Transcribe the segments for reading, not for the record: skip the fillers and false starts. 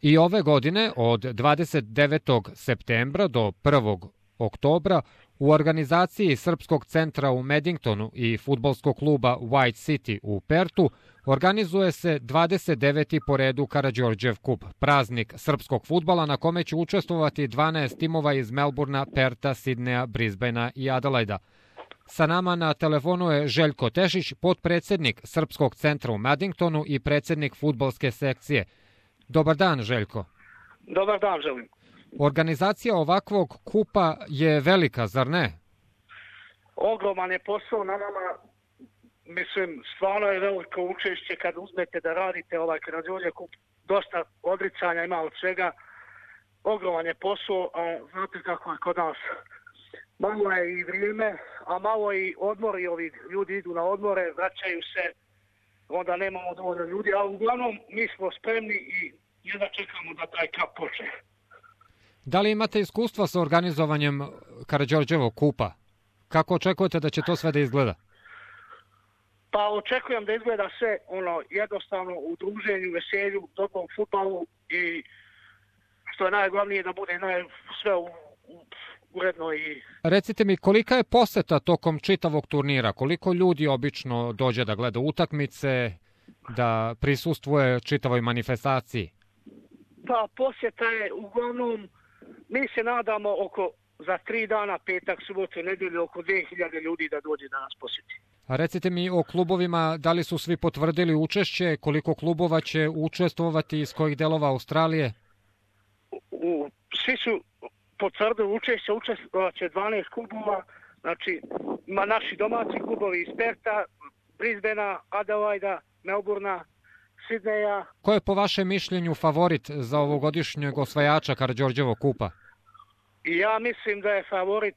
I ove godine od 29. septembra do 1. oktobra u organizaciji Srpskog centra u Medingtonu i fudbalskog kluba White City u Pertu organizuje se 29. po redu Karađorđev kup, praznik srpskog fudbala na kome će učestvovati 12 timova iz Melburna, Perta, Sidneja, Brisbanea i Adelaida. Sa nama na telefonu je Željko Tešić, potpredsednik Srpskog centra u Medingtonu i predsednik fudbalske sekcije. Dobar dan, Željko. Dobar dan, želim. Organizacija ovakvog kupa je velika, zar ne? Ogroman je posao na nama. Mislim, stvarno je veliko učešće kad uzmete da radite ovaj Karađorđev kup. Dosta odricanja ima od svega. Ogroman je posao, a znate kako je kod nas. Malo je i vrijeme, a malo i odmori. Ovi ljudi idu na odmore, vraćaju se, onda nemamo dovoljno ljudi. Ali uglavnom mi smo spremni i jedva čekamo da taj kap počne. Da li imate iskustva sa organizovanjem Karađorđevog kupa? Kako očekujete da će to sve da izgleda? Pa očekujem da izgleda sve jednostavno u druženju, veselju, dobrom fudbalu i što je najglavnije da bude sve uredno. Recite mi, kolika je poseta tokom čitavog turnira? Koliko ljudi obično dođe da gleda utakmice, da prisustvuje čitavoj manifestaciji? Pa posjeta je uglavnom, mi se nadamo za 3 dana, petak, subotu, nedjelju, oko 2000 ljudi da dođe da nas posjeti. A recite mi o klubovima, da li su svi potvrdili učešće, koliko klubova će učestvovati, iz kojih delova Australije? Svi su potvrdili učešće, učestvovaće 12 klubova, znači ima naši domaći klubovi iz Perta, Brisbanea, Adelaida, Melburna, Sidneja. Ko je po vašem mišljenju favorit za ovogodišnjeg osvajača Karađorđevog kupa? Ja mislim da je favorit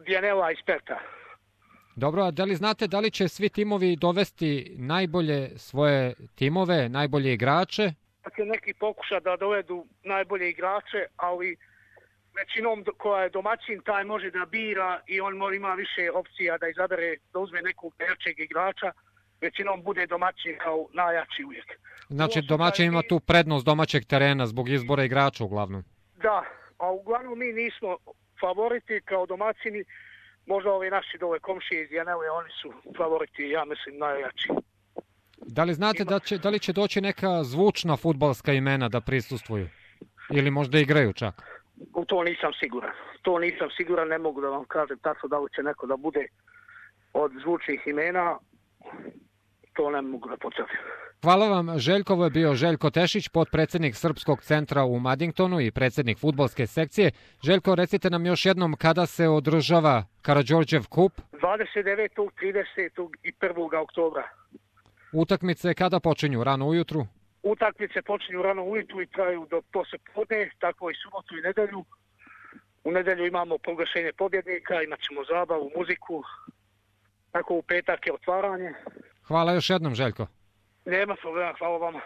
Dianella iz Perta. Dobro, a da li znate da li će svi timovi dovesti najbolje svoje timove, najbolje igrače? Dakle, neki pokuša da dovedu najbolje igrače, ali većinom koja je domaćin, taj može da bira i on ima više opcija da izabere, da uzme nekog jačeg igrača. Većinom bude domaćin kao najjači uvijek. Znači domaćin ima tu prednost domaćeg terena zbog izbora igrača uglavnom. Da, a uglavnom mi nismo favoriti kao domaćini. Možda ovi naši dole komšije iz Janele, oni su favoriti, ja mislim, najjači. Da li znate da li će doći neka zvučna fudbalska imena da prisustvuju? Ili možda igraju čak? U to nisam siguran. Ne mogu da vam kažem tačno da li će neko da bude od zvučnih imena. To ne mogu da potvrdim. Hvala vam. Željkovo je bio Željko Tešić, potpredsednik Srpskog centra u Medingtonu i predsednik fudbalske sekcije. Željko, recite nam još jednom kada se održava Karađorđev kup? 29., 30. i 1. oktobra. Utakmice kada počinju? Rano ujutru? Utakmice počinju rano ujutru i traju do poslijepodne, tako i subotu i nedelju. U nedelju imamo proglašenje pobjednika, imat ćemo zabavu, muziku. Tako u petak je otvaranje. Hvala još jednom, Željko. Nema problema, hvala vama.